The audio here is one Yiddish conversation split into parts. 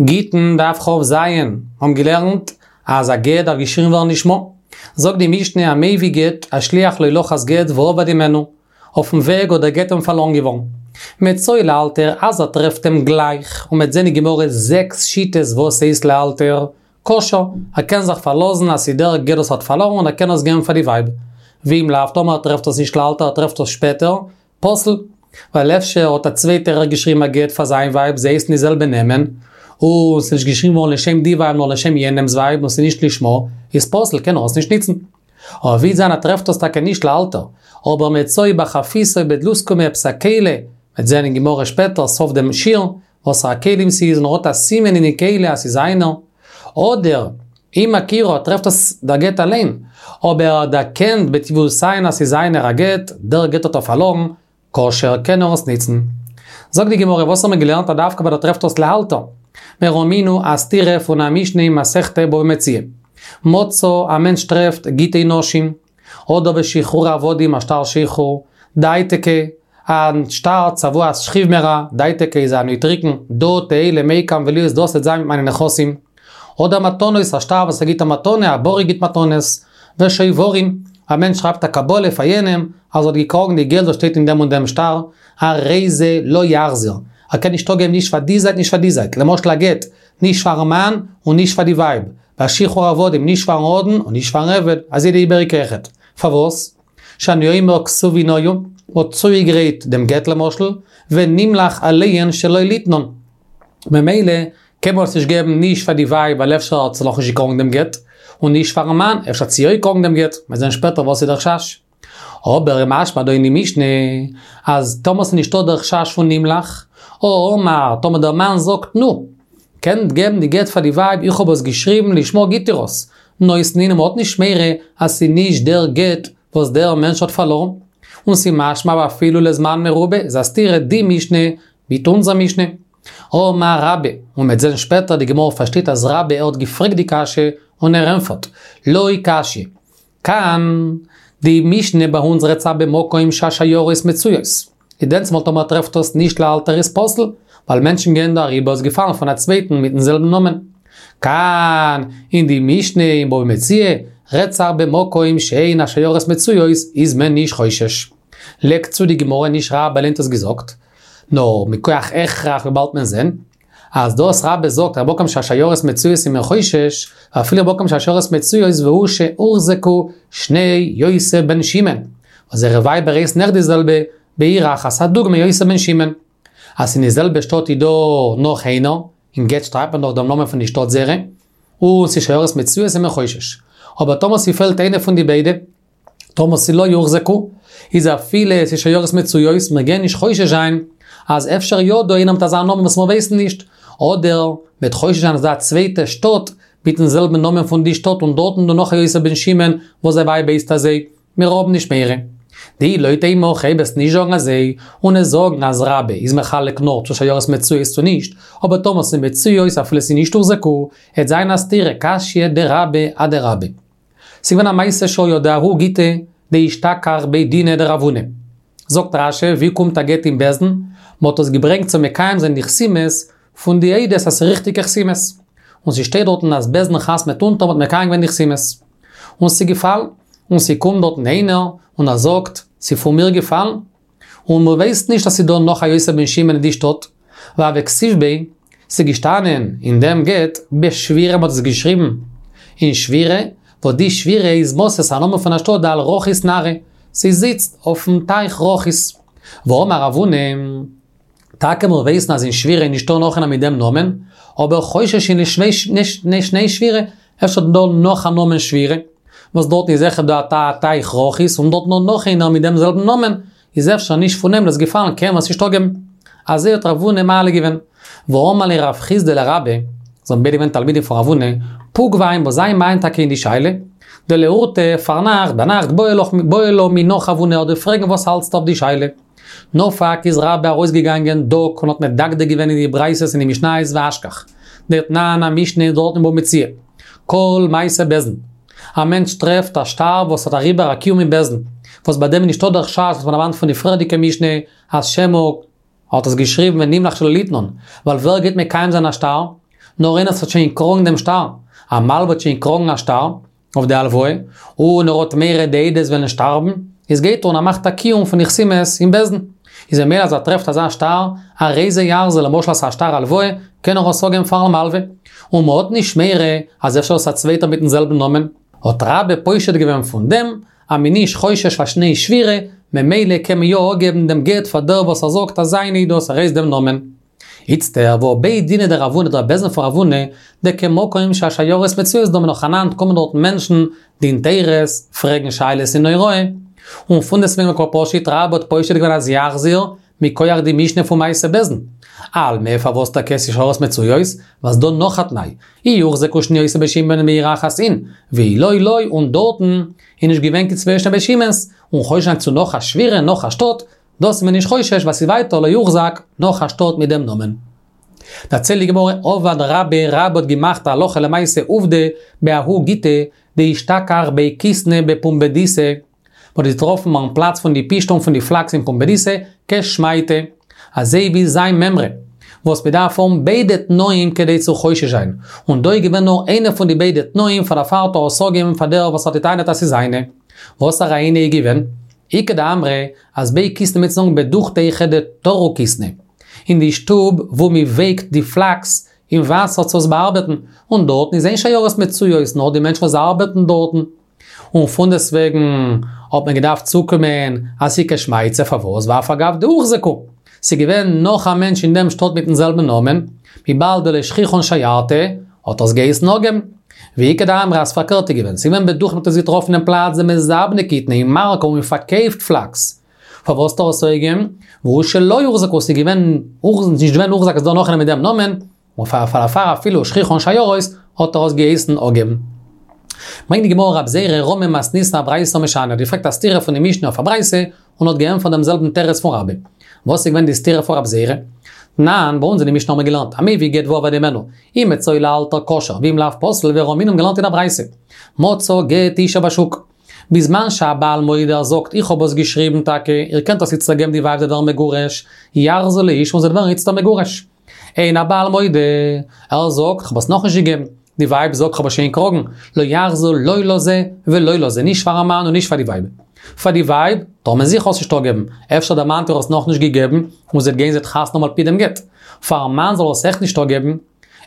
גיטין דף כ"ז, האבן געלערנט אז א גט דארף געשריבן ווערן לשמה. זאגט די משנה המביא גט, השליח לו לחז גט ואבד הימנו, אויפן וועג האט דער גט אים פארלארן געווארן. מצאו לאלתר אז ער טרעפט אים גלייך, און מ'עט זען אין גמרא זעקס שיטות וואס הייסט לאלתר, כשר, ער קען זיך פארלאזן אז ס'איז דער גט וואס ער האט פארלארן און ער קען עס געבן פאר די ווייב. ואם לאו, טאמער ער טרעפט עס נישט לאלתר ער טרעפט עס שפעטער, פסול, ווייל אפשר האט א צווייטער אויך געשריבן א גט פאר זיין ווייב, זיי הייסן די זעלבע נעמען, און ס'איז נישט געשריבן געווארן לשם די ווייב נאר לשם יענעמ'ס ווייב און ס'איז נישט לשמה, איז פסול, קען ער עס נישט ניצן. אבער ווי זיין ער טרעפט עס טאקע נישט לאלתר, אבער מצאו בחבית או בדלוסקמא עפעס א כלי, מ'וועט זען אין גמרא שפעטער סוף דעם שיעור, וואסערע כלים ס'איז און ער האט א סימן אין די כלי אז ס'איז זיינער, אדער אם הכירו ער טרעפט עס דער גט אליין, אבער ער דערקענט בטביעות עין אז ס'איז זיינער א גט, דער גט האט ער פארלארן, כשר קען ער עס ניצן. זאגט די גמרא וואס האט מען געלערנט אז דווקא ווען ער טרעפט עס לאלתר? מיר האמיר א סתירה פון א משנה אין מסכת בבא מציעא. מצא א מענטש טרעפט גיטי נשים, אדער ושחרור עבדים א שטר שחרור, דייתיקי, א שטר צוואת שכיב מרע, דייתיקי איז א נוטריקון, דא תהא למיקם ולהיות דאס וועט זיין מיט מיינע נכסים. אדער מתנות, א שטר וואס ער גיט א מתנה, א בורר גיט מתנות. ושוברים, א מענטש שרייבט א קבלה פאר יענעם אז ער האט געקראגן די געלט וואס שטייט אין דעם און דעם שטר, הרי זה לא יחזיר, ער קען נישט אפגעבן נישט פאר די זייט נישט פאר די זייט, למשל א גט, נישט פארן מאן און נישט פאר די ווייב, ביי שחרור עבדים נישט פארן אדון און נישט פארן עבד, אזוי די איבעריגע אויכעט. פארוואס? שאני אומר כתובין היו, מ'האט צוגעגרייט דעם גט למשל, ונמלך עליהן שלא ליתנן. ממילא קען מען עס נישט געבן נישט פאר די ווייב ווייל אפשר האט זי נאכנישט געקראגן דעם גט, און נישט פארן מאן, אפשר האט זי יא געקראגן דעם גט, מ'וועט זען שפעטער וואס איז דער חשש. אבער משמע דא אין די משנה אז טאמער ס'איז נישטא דער חשש פון נמלך, הא אמר, טאמער דער מאן זאגט נו, קענט געבן די גט פאר די ווייב איך האב עס געשריבן לשמה גיט איר עס, נותנין און מ'האט נישט מורא אז ס'איז נישט דער גט וואס דער מענטש האט פארלארן, און ס'איז משמע ואפילו לזמן מרובה, איז א סתירה די משנה מיט אונזער משנה. אמר רבה, און מ'וועט זען שפעטער די גמרא פארשטייט אז רבה ער האט געפרעגט די קשיא און ער ענפערט, לא קשיא. כאן, די משנה ביי אונז רעדט זיך במקום שהשיירות מצויות. איז דענסמאל טאמער טרעפט עס נישט לאלתר איז פסול, ווייל מענטשן גייען דא אריבער איז געפאלן פון א צווייטן מיטן זעלבן נאמען. כאן, אין די משנה אין בבא מציעא, רעדט זיך במקום שאין השיירות מצויות איז מען נישט חושש. לייגט צו די גמרא נישט רבה אליין האט עס געזאגט, נאר מכח הכרח וויבאלד מען זען אז דאס רבה זאגט אז במקום שהשיירות מצויות איז מען חושש, ואפילו במקום שהשיירות מצויות והוא שהוחזקו שני יוסי בן שמעון, וואס זייערע ווייבער הייסן אויך די זעלבע, בעיר אחת, א דוגמא יוסי בן שמעון. אז אין די זעלבע שטאט איז דא נאך איינער, אין גט שרייבט מען דאך דעם נאמען פון די שטאט זייערע, און ס'איז שיירות מצויות איז מען חושש. אבער טאמער ס'פעלט איינע פון די ביידע, טאמער ס'איז לא הוחזקו, איז אפילו ס'איז שיירות מצויות, מיר גייען נישט חושש זיין אז אפשר יא דא איינער מיט אזא נאמען וואס מיר ווייסן נישט, אדער מ'וועט חושש זיין אז דא א צווייטע שטאט מיטן זעלבן נאמען פון די שטאט און דארטן דא נאך א יוסי בן שמעון וואס זיין ווייב הייסט אזוי, מיר האבן נישט מורא. דאי לא תימא הכי, וועסט נישט זאגן אזוי, און וועסט זאגן אז רבה איז מחלק נאר צו שיירות מצויות צו נישט, אבער טאמער ס'איז מצויות אפילו ס'איז נישט הוחזקו, עט זיין א סתירה קשיא דרבה אדרבה. ס'איז געווען א מעשה שהיה דההוא גיטא דאשתכח בי דינא דרב הונא. זאגט רש"י, ווי קומט א גט אין בית דין? מ'האט עס געברענגט צו מקיים זיין די חתימות פון די עדות אז ס'איז ריכטיגע חתימות. און ס'שטייט דארטן אז בית דין חתמ'ט אונטער מ'האט מקיים געווען די חתימות. און ס'איז געפאלן. און ס'קומט דארטן איינער און ער זאגט, ס'איז פון מיר געפאלן. און מ'ווייסט נישט אז ס'איז דא נאך א יוסי בן שמעון אין די שטאט. והוה כתיב ביה, ס'איז געשטאנען אין דעם גט בשווירא מ'האט עס געשריבן אין שווירא, וואס די שווירא איז מתא א נאמען פון א שטאט דעל רכית נהרא, ס'זיצט אויפן טייך רכית. ואמר רב הונא, טאקע מיר ווייסן אז אין שווירא איז נישטא נאך איינער מיט דעם נאמען, אבער חוששין לשני שווירא, אפשר איז דא נאך א נאמען שווירא, וואס דארטן איז זיכער דא א טייך רכית און דארט נאר נאך איינער מיט דעם זעלבן נאמען, איז אפשר נישט פון אים דאס געפאלן קען מען עס נישט אפגעבן. אזוי האט רב הונא מעלה געווען. ואמר ליה רב חסדא לרבה, זיי האבן ביידע געווען תלמידים פון רב הונא, פוק ועיין ביה זיי מעיין טאקע אין די שאלה, דלאורתא פארנאכט ביינאכט בעי לה מינך רב הונא דיר פרעגן וואס האלטסטו אויף די שאלה. נפק איז רבה ארויסגעגאנגען דק און האט מדקדק געווען אין די ברייתות און די משניות ואשכח דתנן א משנה דארט אין בבא מציעא. כל מעשה בית דין. א מענטש טרעפט א שטר וואס האט אריבער א קיום אין בית דין, וואס ביי דעם איז נישטא דער חשש וואס מען דערמאנט פון די פריערדיגע משנה אז שמא האט עס געשריבן ונמלך שלא ליתנן, ווייל ווער גייט מקיים זיין א שטר? נאר איינער וואס האט שוין געקראגן דעם שטר, א מלווה האט שוין געקראגן א שטר אויף די הלוואה, און ער האט מורא די עדות וועלן שטארבן, איז גייט ער און ער מאכט א קיום פון די חתימות אין בית דין. איז ממילא אז ער טרעפט אזא שטר, הרי זה יחזיר, למשל אז ס'איז א שטר הלוואה, קען ער עס אפגעבן פארן מלווה. און מ'האט נישט מורא אז אפשר איז עס א צווייטער מיטן זעלבן נאמען. האט רבה פושט געווען פון דעם אז מ'איז נישט חושש פאר שני שבירה, ממילא קען מען יא אפגעבן דעם גט פאר דער וואס ער זאגט אז זיינע איז דאס, ער הייסט דעם נאמען. איצטער והא בי דינא דרב הונא דער בית דין פון רב הונא, דכמקום שהשיירות מצויות דמי נאכאנאנד קומען דארטן מענטשן, דין תורות, פרעגן שאלות אין הוראה. און פונדעסטוועגן קא פשיט רבה האט פושט געווען אז יחזיר, מכח די משנה פון מעשה בית דין. אלמא פארוואס טאקע ס'איז שיירות מצויות? ווייל ס'דא נאך א תנאי, אי הוחזקו שני עושי בית שמעון בעיר אחת אין, ואי לא לא און דארטן איז נישט געווען קיין צוויי שני בית שמעון'ס, און חושש זיין צו נאך א שבירה נאך א שטאט, דאס איז מען נישט חושש ווייל ס'איז ווייטער לא הוחזק נאך א שטאט מיט דעם נאמען. דערציילט די גמרא עבד רבה רבה האט געמאכט א הלכה למעשה עובדא בההוא גיטא דאשתכח בי קיתנא בפומבדיתא, מ'האט געטראפן ביים פלאץ פון די פשתן פון די פלאקס אין פומבדיתא כשמעתיה, אזוי ווי זיין מימרא, וואס מ'דארף האבן ביידע תנאים כדי צו חושש זיין, און דא איז געווען נאר איינע פון די ביידע תנאים פאר דערפאר האט ער עס אפגעגעבן פאר דער וואס האט געטענה'ט אז ס'איז זיינע. וואסערע איינע איז געווען? איכא דאמרי אז בי קיתנא מיינט צו זאגן בדוכתא היכא דתרו כיתנא, אין די שטוב וואו מ'ווייקט די פלאקס אין וואסער צו עס באארבעטן, און דארטן איז אין שיירות מצויות נאר די מענטשן וואס ארבעטן דארטן. און פונדעסטוועגן האט מען געדארפט צוקומען אז ס'איז כשמעתיה פארוואס ואף על גב דהוחזקו. ס'איז געווען נאך א מענטש אין דעם שטאט מיטן זעלבן נאמען, וויבאלד דלא שכיחן שיירתא, האט ער עס געהייסן אפגעבן. ואיכא דאמרי אז פארקערט איז געווען, ס'איז געווען בדוכתא מ'האט עס געטראפן אין פלאץ דמזבני כיתנא אין מארק וואו מ'פארקויפט פלאקס. פארוואס האט ער עס אפגעגעבן? והוא שלא הוחזקו, ס'איז געווען נישט געווען הוחזק אז ס'דא נאך איינער מיט דעם נאמען, און פאר דערפאר אפילו שכיחן שיירות האט ער עס געהייסן אפגעבן. ברענגט די גמרא רב זירא רמי מתניתין אברייתא משני האט געפרעגט א סתירה פון די משנה אויף א ברייתא און האט געענטפערט דעם זעלבן תירוץ פון רבה. וואס איז געווען די סתירה פון רב זירא? תנן, ביי אונז אין די משנה האבן מיר געלערנט, המביא גט ואבד הימנו, אם מצאו לאלתר כשר ואם לאו פסול ורמינהו האבן געלערנט אין א ברייתא. מצא גט אשה בשוק. בזמן שהבעל מודה ער זאגט איך האב עס געשריבן טאקע, איר קענט עס איצטער געבן די ווייב זי וועט ווערן מגורש, יחזיר לאשה און זי וועט ווערן איצטער מגורש. אין הבעל מודה, ער זאגט, כ'האב עס נאכנישט געגעבן. די ווייב זאגט, כ'האב עס שוין געקראגן. לא יחזיר לא לזה ולא לזה, נישט פארן מאן און נישט פאר די ווייב. פאר די ווייב, טאר מען זיכער עס נישט אפגעבן, אפשר דער מאן האט איר עס נאכנישט געגעבן, און זי וועט גיין זי וועט חתונה האבן על פי דעם גט. פארן מאן זאל ער עס עכט נישט אפגעבן.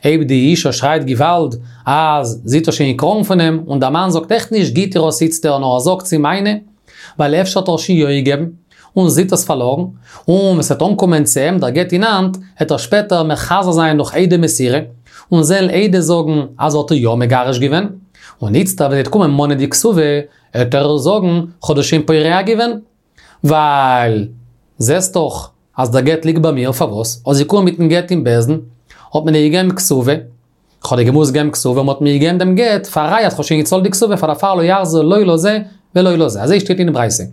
אויב די אישה שרייט געוואלד אז זי האט עס שוין געקראגן פון אים, און דער מאן זאגט עכט נישט גיט איר עס איצטער נאר ער זאגט ס'איז מיינע, ווייל אפשר האט ער שוין יא געגעבן. און זי האט עס פארלארן, און ווען ס'וועט אנקומען צו אים דער גט אין האנט, העט ער שפעטער מחזר זיין דורך עדי מסירה, און זיי וועלן עדות זאגן אז ער האט איר יא מגרש געווען, און איצטער ווען ס'וועט קומען מאנען די כתובה, העט ער זאגן, כ'האב דאס שוין פורע געווען, ווייל זעסט דאך אז דער גט ליגט ביי מיר, פארוואס? האסט געקומען מיטן גט אין בית דין, האט מען דיר געגעבן כתובה, כ'האב דיר געמוזט געבן כתובה און מ'האט מיר געגעבן דעם גט פאר א ראיה אז כ'האב שוין געצאלט די כתובה פאר דערפאר לא יחזיר לא לזה ולא לזה. אזוי שטייט אין די ברייתא.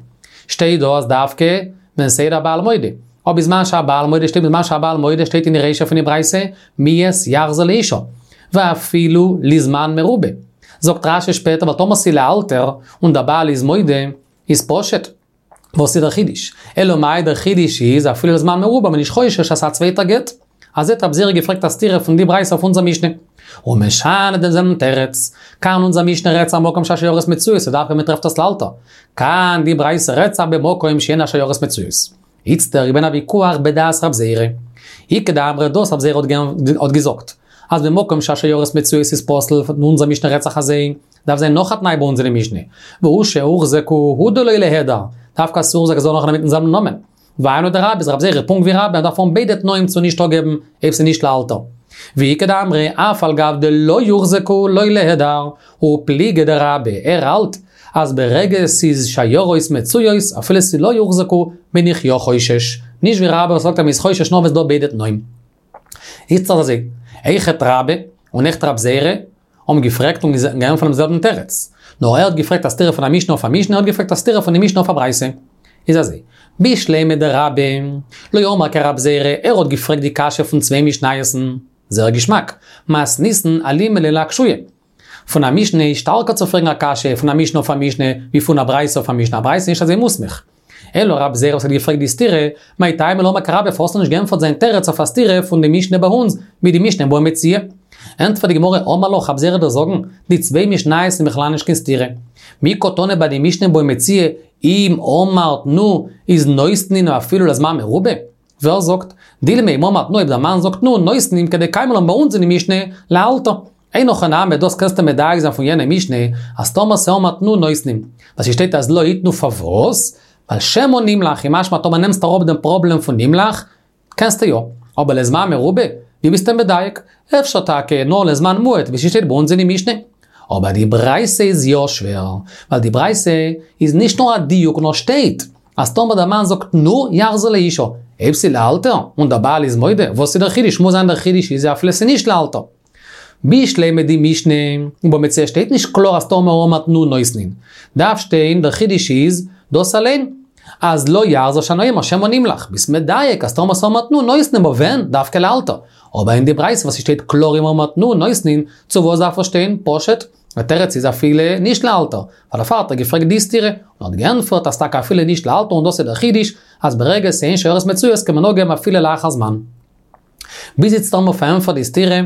שטייט דא אז דווקא ווען ס'איז הבעל מודה. אבער בזמן שהבעל מודה שטייט בזמן שהבעל מודה שטייט אין די רישא פון די ברייתא מיהת יחזיר לאשה. ואפילו לזמן מרובה. זאגט רשי שפעטער ווייל טאמער ס'איז לאלתר און דער בעל איז מודה איז פשוט. וואס איז דער חידוש? אלא מאי דער חידוש איז אפילו לזמן מרובה מ'איז נישט חושש אז ס'איז א צווייטער גט. אזוי האט רב זירא געפרעגט א סתירה פון די ברייתא אויף אונזער משנה. ומשני דעם זעלבן תירוץ. כאן אונזער משנה רעדט זיך במקום שהשיירות מצויות ס'איז דווקא מ'טרעפט עס לאלתר. כאן די ברייתא רעדט זיך במקום שאין השיירות מצויות. איצטער איז געווען א ויכוח בדעת רב זירא. איכא דאמרי דאס רב זירא האט געזאגט אז במקום שהשיירות מצויות איז פסול פון אונזער משנה רעדט זיך אזוי. דארף זיין נאך א תנאי ביי אונז אין די משנה, והוא שהוחזקו הוא דלא ליהדר, דווקא אז ס'הוחזק איז דא נאך איינער מיטן זעלבן נאמען. והיינו דרבה איז רב זירא פונקט ווי רבה מ'דארף האבן ביידע תנאים צו נישט אפגעבן אויב ס'איז נישט לאלתר. ואיכא דאמרי אף על גב דלא הוחזקו לא ליהדר, ופליגא דרבה, ער האלט אז ברגע ס'איז שיירות מצויות אפילו ס'איז לא הוחזקו בין איך יא חושש, נישט ווי רבה וואס זאגט אז מ'איז חושש נאר ווען ס'דא ביידע תנאים. איצטערט אזוי, אויכעט רבה און אויכעט רב זירא האבן געפרעגט און געענטפערט דעם זעלבן תירוץ. נאר ער האט געפרעגט א סתירה פון א משנה אויף א משנה, ער האט געפרעגט א סתירה פון די משנה אויף א ברייתא. איז אזוי, בשלמא דרבה, לא אמר כרב זירא, ער האט געפרעגט די קשיא פון צוויי משניות'ן. זייער געשמאק. מתניתין אלימא ליה לאקשויי. פון א משנה איז שטארקער צו פרעגן א קשיא פון א משנה אויף א משנה, ווי פון א ברייתא אויף א משנה. א ברייתא איז נישט אזוי מוסמך. אלא רב זירא וואס האט געפרעגט די סתירה, מאי טעמא לא אמר כרבה פארוואס האט ער נישט געענטפערט זיין תירוץ אויף א סתירה פון די משנה ביי אונז, ווי די משנה בבא מציעא. ענטפערט די גמרא, אמר לך, רבי זירא וועט דיר זאגן, די צוויי משניות זענען בכלל נישט קיין סתירה. מי קתני ביי די משנה בבא מציעא, אם אמר תנו איז נותנין אפילו לזמן מרובה? ווער זאגט? דילמא אם אמר תנו אויב דער מאן זאגט תנו נותנין כדקיימא לן ביי אונז אין די משנה לאלתר. אין הכי נמי דאס קענסטו מדייק זיין פון יענע משנה אז טאמער ס'אמר תנו נותנין. ווייל ס'שטייט אז לא יתנו פארוואס? ווייל שמא נמלך איז משמע טאמער נעמסט אראפ דעם פראבלעם פון נמלך קענסטו יא. אבער לזמן מרובה? ווי ביסטו מדייק? אפשר טאקע נאר לזמן מועט ווי ס'שטייט ביי אונז אין די משנה. אבער די ברייתא איז יא שווער, ווייל די ברייתא איז נישט נאר א דיוק נאר שטייט אז טאמער דער מאן זאגט תנו יחזיר לאישה, אויב ס'איז לאלתר, און דער בעל איז מודה, וואס איז דער חידוש? מוז זיין דער חידוש איז אפילו ס'איז נישט לאלתר. בשלמא די משנה, אין בבא מציעא שטייט נישט קלאר אז טאמער אמר תנו נותנין. דארף שטיין דער חידוש איז דאס אליין, אז לא יחזיר שאני אומר שמא נמלך, ביסט מדייק אז טאמער ס'אמר תנו נותנין אבער ווען? דווקא לאלתר. אבער אין די ברייתא וואס ס'שטייט קלאר אם אמר תנו נותנין, צו וואס דארף עס שטיין? פשוט, דער תירוץ איז אפילו נישט לאלתר, ווייל דערפאר האט ער געפרעגט די סתירה, און האט געענטפערט אז טאקע אפילו נישט לאלתר און דאס איז דער חידוש, אז ברגע ס'אין שיירות מצויות קען מען אפגעבן אפילו לאחר זמן. ביז איצט האבן מיר פארענטפערט די סתירה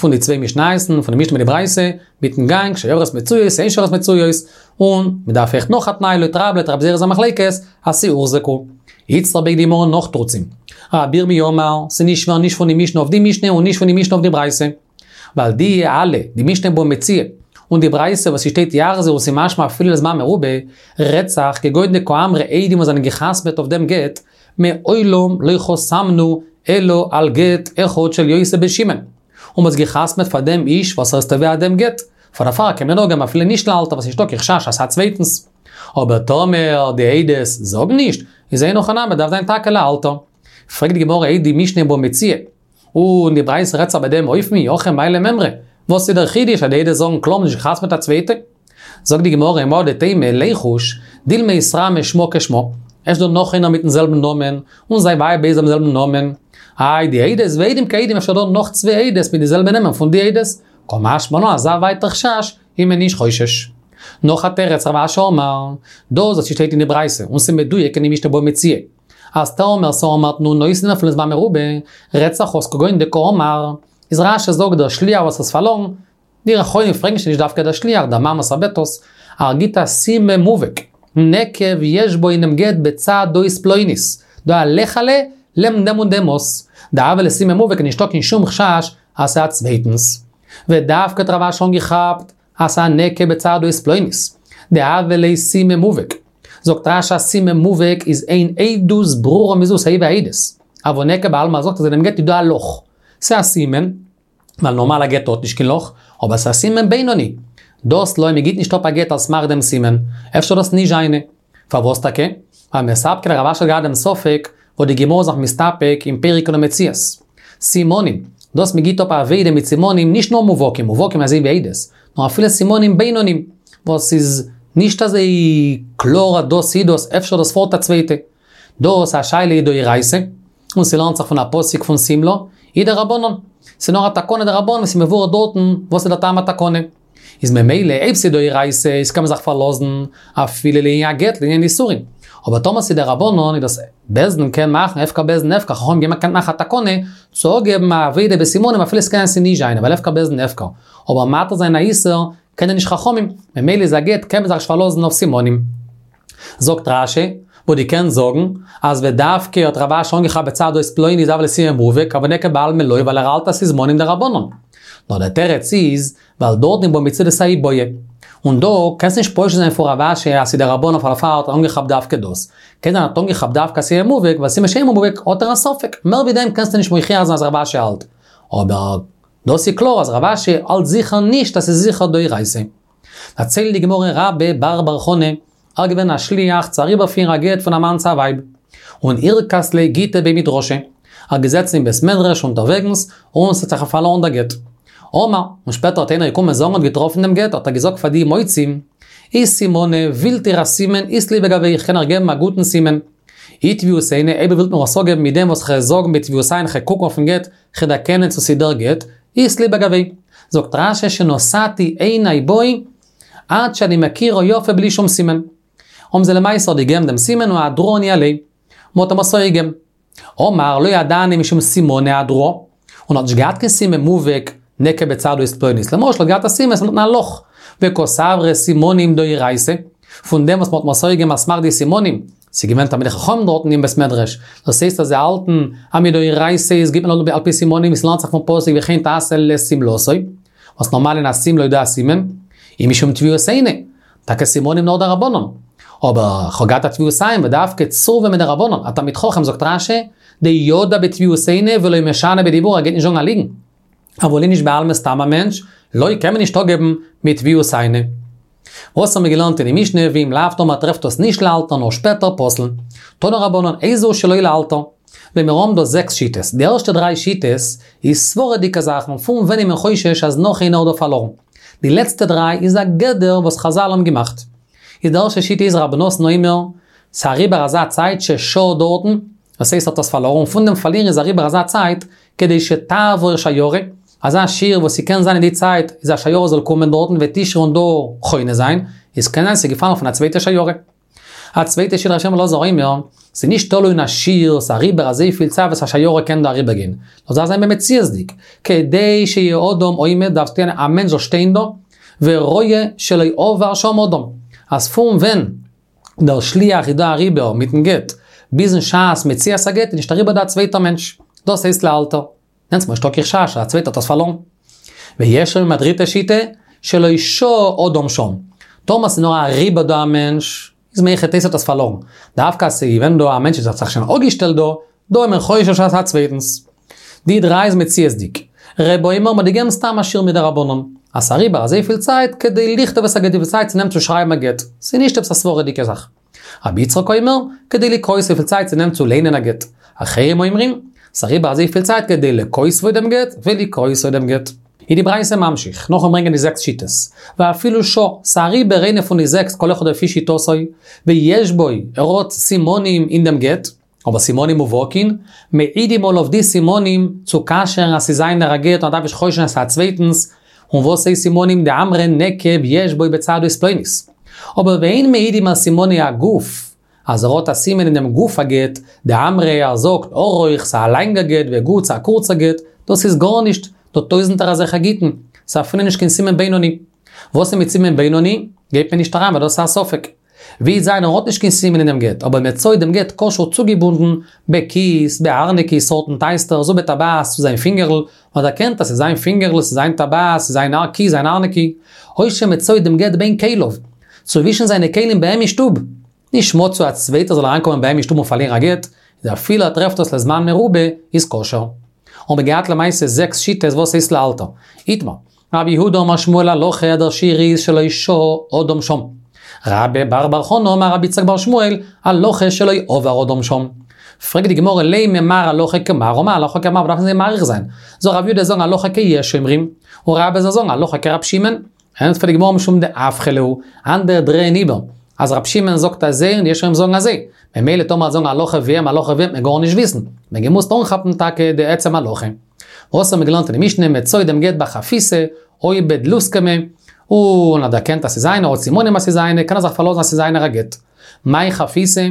פון די צוויי משניות'ן, פון די משנה מיט די ברייתא, מיטן גאנג שיירות מצויות, אין שיירות מצויות, און מ'דארף אויכט נאך א תנאי לויט רב לויט רב זירא'ס א מחלוקת, אז ס'הוחזקו. איצטער ברענגט די גמרא נאך תירוצים. רבי ירמי' אמר, ס'נישט שווער נישט פון די משנה אויף די משנה און נישט פון די משנה אויף די ברייתא. ווייל די אלע, די משנה בבא מציעא, און די ברייתא וואס ס'שטייט יחזיר און ס'משמע אפילו לזמן מרובה, רעדט זיך כגון דקאמרי עדים וואס זענען גע'חתמ'עט אויף דעם גט, מעולם לא חתמנו אלא על גט אחד של יוסי בן שמעון. און מ'האט גע'חתמ'עט פאר דעם איש וואס ער איז תובע דעם גט. פאר דערפאר קען מען אפגעבן אפילו נישט לאלתר וואס נישטא קיין חשש אז ס'איז א צווייטנס. אבער טאמער די עדות זאגן נישט, איז אין הכי נמי דארף זיין טאקע לאלתר. פרעגט די גמרא אי די משנה בבא מציעא. און די ברייתא רעדט זיך ביי דעם אופן אי הכי מאי למימרא. וואס איז דער חידוש אז די עדות זאגן קלאר מ'האט נישט גע'חתמ'עט א צווייטע? זאגט די גמרא מהו דתימא ליחוש, דילמא איתרמי שמה כשמה, אפשר דא נאך איינער מיטן זעלבן נאמען, און זיין ווייב הייסט דעם זעלבן נאמען, איי די עדות ועדים כעדים אפשר דא נאך צוויי עדות מיט די זעלבע נעמען פון די עדות, קא משמע לן אזא ווייטער חשש איז מען נישט חושש. נאך א תירוץ רב אשי אמר, דאס וואס שטייט אין די ברייתא און ס'מדויק אין די משנה בבא מציעא, אז טאמער ס'אמר תנו נותנין אפילו לזמן מרובה, רעדט זיך אויס כגון דקאמר, איז רש"י זאגט דער שליח וואס האט פארלארן, די אחרונים פרעגן שוין נישט דווקא דער שליח, דער מאן וואס ער בעט עס, ער גיט א סימן מובהק, נקב יש בו אינעם גט בצד אות פלונית, דא א לעכעלע לעבן דעם און דעם אות, דהוה ליה סימן מובהק נישטא קיין שום חשש אז ס'איז א צווייטנס. ודווקא האט רב אשי אנגעכאפט אז ס'איז א נקב בצד אות פלונית, דהוה ליה סימן מובהק. זאגט רש"י א סימן מובהק איז אין עדות ברורה מזו סיי ווי עדות. אבל נקב בעלמא זאגט אז אינעם גט איז דא א לאך. ס'איז א סימן. ווייל נארמאל א גט האט נישט קיין לאך, אבער ס'איז א סימן בינוני. דאס לא, מ'גיט נישט אפ א גט על סמך דעם סימן, אפשר דאס נישט זיינע. פארוואס טאקע? ווייל מספקא ליה רב אשי האט געהאט דעם ספק, וואס די גמרא איז זיך מסתפק אין פרק אלו מציאות. סימנים, דאס מ'גיט אפ א אבידה מיט סימנים נישט נאר מובהקים, מובהקים אזוי ווי עדות, נאר אפילו סימנים בינונים, וואס איז נישט אזוי קלאר אז דאס איז דאס, אפשר דאס פארט א צווייטע. דאס א שאלה איז דאורייתא, און ס'לערנט זיך פון א פסוק פון שים לה, היא דרבנן. ס'נאר א תקנה דרבנן וואס איז מבואר דארטן וואס איז דער טעם התקנה. איז ממילא אויב ס'איז דאורייתא איז קען מען זיך פארלאזן אפילו לענין הגט לענין איסורין. אבער טאמער ס'איז דרבנן איז דאס בית דין קען מאכן הפקר בית דין הפקר חכמים האבן געקענט מאכן א תקנה צו אפגעבן א אבידה בסימנים אפילו ס'קען זיין ס'איז נישט זיינע ווייל הפקר בית דין הפקר. אבער מתיר זיין א איסור קענען נישט חכמים, ממילא איז א גט קען מען זיך נישט פארלאזן אויף סימנים. זאגט רש"י, וואס דו קענסט זאגן, אז ודווקא האט רב אשי אנגעכאפט בצד אות פלונית דהוה ליה סימן מובהק, אבל נקב בעלמא לא ווייל ער האלט אז ס'איז סימנים דרבנן. נאר דער תירוץ איז, ווייל דארט אין בבא מציעא דאס א איבעיא. און דא קענסט נישט פושט זיין פון רב אשי אז ס'איז דרבנן פאר דערפאר האט ער אנגעכאפט דווקא דאס. קען זיין ער האט אנגעכאפט דווקא סימן מובהק, ווייל סימן שאינו מובהק האט ער א ספק. מער ווי דעם קענסטו נישט מוכיח זיין אז רב אשי האלט. אבער דאס איז קלאר אז רב אשי האלט זיכער נישט אז ס'איז זיכער דאורייתא. דערציילט די גמרא רבה בר בר חנה, ער געווען א שליח צו אריבערפירן א גט פון א מאן צו א ווייב, און אירכס ליה גיטא בי מדרשא, ער געזעצן אין בית מדרש אונטערוועגנס, און ס'האט זיך אים פארלארן דער גט. אמר, און שפעטער האט איינער געקומען זאגן האט געטראפן דעם גט, האט ער געזאגט פאר די מוצאים, אי סימנא, ווילט איר א סימן, אית לי בגויה, איך קען אייך געבן א גוטן סימן. אי טביעות עינא, אויב איר ווילט מיר עס אפגעבן מיט דעם וואס כ'וועל זאגן בטביעות עין, כ'וועל קוקן אויפן גט, כ'וועל דערקענען צו ס'איז דער גט, אית לי בגויה. זאגט רש"י שנתתי עיני בו עד שאני מכירו יפה בלי שום סימן. האבן זיי למעשה האט געגעבן דעם סימן און אהדרוה ניהליה. מ'האט אים עס אפגעגעבן. אמר לא ידענא משום סימנא אהדרוה. און האט נישט געהאט קיין סימן מובהק. נקב בצד אות פלונית. למשל האט געהאט א סימן, ס'איז דארטן א לאך. וקסברי סימנים דאורייתא, פון דעם וואס מ'האט מוסר געווען על סמך די סימנים, ס'איז געווען תלמידי חכמים דארטן אין בית מדרש, דאס הייסט אז זיי האלטן אז מדאורייתא איז גיבט מען על פי סימנים ווי ס'לערנט זיך פון פסוק וכן תעשה לשמלתו, וואס נארמאל אין א שמלה איז דא א סימן, אי משום טביעות עינא, טאקע סימנים נאר דרבנן. אבער כ'האב געהאט א טביעות עין ודווקא צורבא מדרבנן, א תלמיד חכם זאגט רש"י, דידע בטביעות עינא ולא משנה בדיבור ער גייט נישט זאגן א ליגן. אבל איניש בעלמא סתם א מענטש, לא קען מען נישט אפגעבן מטביעות עינא. וואס האבן מיר געלערנט אין די משנה ואם לאו טאמער טרעפט עס נישט לאלתר נאר שפעטער פסול. תנו רבנן איזהו שלא לאלתר. ווען מיר האבן דא זעקס שיטות, די ערשטע דריי שיטות איז סברה'דיגע זאכן פון ווען איז מען חושש אז נאך איינער האט דא פארלארן. די לעצטע דריי איז א גדר וואס חזל האבן געמאכט. איז די ערשטע שיטה איז רבי נתן אומר, ס'אריבער אזא צייט ששהה דארטן, דאס הייסט האט עס פארלארן, פון דעם פארלירן איז אריבער אזא צייט, כדי שתעבור שיירה, אזא שיעור וואס ס'קען זיין אין די צייט איז א שיירה זאל קומען דארטן ותשרה און דא חונה זיין, איז קען זיין ס'איז געפאלן פון א צווייטע שיירה. א צווייטע שיטה רבי שמעון בן אלעזר אומר, ס'איז נישט תלוי אין א שיעור, ס'איז אריבער אזויפיל צייט וואס א שיירה קען דא אריבער גיין, נאר ס'דארף זיין במציאות'דיג, כדי שיהא אדם עומד דארף שטיין א מענטש זאל שטיין דא, ורואה שלא עבר שם אדם, אז פון ווען דער שליח איז דא אריבער מיטן גט, ביזן שעת מציאת הגט איז נישט אריבער דא א צווייטער מענטש, דאס הייסט לאלתר. דענסמאל נישטא קיין חשש אז א צווייטער האט עס פארלארן. ויש אומרים א דריטע שיטה, שלא שהה אדם שם. טאמער ס'איז נאר אריבער דא א מענטש, איז מהיכי תיתי האט עס פארלארן. דווקא אז ס'איז געווען דא א מענטש וואס האט זיך שוין אפגעשטעלט דא, דא איז מען חושש אז ס'איז א צווייטנס. די דריי איז מציאות'דיג. רבי אומר מ'האט געגעבן סתם א שיעור מדרבנן. אז ס'איז אריבער אזויפיל צייט כדי לכתוב את הגט וויפיל צייט ס'נעמט צו שרייבן א גט. ס'איז נישט עפעס א סברה'דיגע זאך. רבי יצחק אומר, כדי לקרותו וויפיל צייט ס'נעמט צו ליינען א גט. אחרים אומרים, ס'אריבער אזויפיל צייט כדי לכותבו דעם גט ולקרותו דעם גט. איז די ברייתא ממשיך, נאכן ברענגען די זעקס שיטות, ואפילו שהה, ס'אריבער איינע פון די זעקס כל אחד לפי שיטתו, ויש בו, ער האט סימנים אין דעם גט, אבער סימנים מובהקין, מעידים עליו די סימנים צו כשר'ן אז ס'איז זיינער א גט און ער דארף נישט חושש זיין ס'איז א צווייטנס, און וואס הייסט סימנים דאמרי נקב יש בו בצד אות פלונית. אבער ואין מעידים על סימני הגוף, אז ער האט א סימן אין דעם גוף הגט, דאמרי ער זאגט ארוך ס'א לאנגע גט וגוט ס'א קורצע גט, דאס איז גארנישט, דא טויזענטער אזעלכע גיטין, ס'איז אפילו נישט קיין סימן בינוני. וואס איז מיט סימן בינוני? גייט מען נישט אריין ווייל דאס איז א ספק. ווי איז זיין ער האט נישט קיין סימן אין דעם גט, אבער מצאו דעם גט קשור צוגעבונדן בכיס, בארנקי, סארטן טייסטערס, ובטבעת צו זיין פינגערל, און דערקענט אז ס'איז זיין פינגערל, ס'איז זיין טבעת, ס'איז זיין כיס, זיין ארנקי, או שמצאו דעם גט בין כליו, צווישן זיינע כלים ביי אים אין שטוב. נישט מצוי א צווייטער זאל אריינקומען ביי אים אין שטוב און פארלירן א גט, איז אפילו ער טרעפט עס לזמן מרובה, איז כשר. האבן מיר געהאט למעשה זעקס שיטות וואס הייסט לאלתר. איתמר. רב יהודה אמר שמואל הלכה דער שיעור איז שלא שהה אדם שם. רבה בר בר חנה אמר רבי יצחק בר שמואל הלכה שלא עבר אדם שם. פרעגט די גמרא לימא מר הלכה כמר ומר הלכה כמר וואס דארף מען זיי מאריך זיין? זאל רב יהודה זאגן הלכה כיש אומרים, און רבה זאל זאגן הלכה כרב שמעון. ענטפערט די גמרא משום דאפכי להו, אנדערע דרייען איבער, אז רב שמעון זאגט אזוי און די יש אומרים זאגן אזוי, ממילא טאמער זאגן הלכה ווי אים הלכה ווי אים וועט מען גארנישט וויסן, מען געמוזט אנכאפן טאקע די עצם הלכה. וואס האבן מיר געלערנט אין די משנה, מצאו דעם גט בחפיסה, או בדלוסקמא, און ער דערקענט אז ס'איז זיינער, האט סימנים אז ס'איז זיינער, קען ער זיך פארלאזן אז ס'איז זיינער א גט. מאי חפיסה?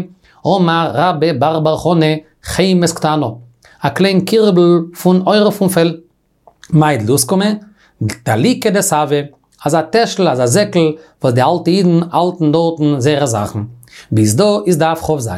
אמר רבה בר בר חנה, חמת קטנה, א קליין קירבל פון עור פון פעל. מאי דלוסקמא? דליקה דסבא, אזא טעשל, אזא זעקל, וואס די אלטע אידן האלטן דארטן זייערע זאכן. ביז דא איז דף כ"ז.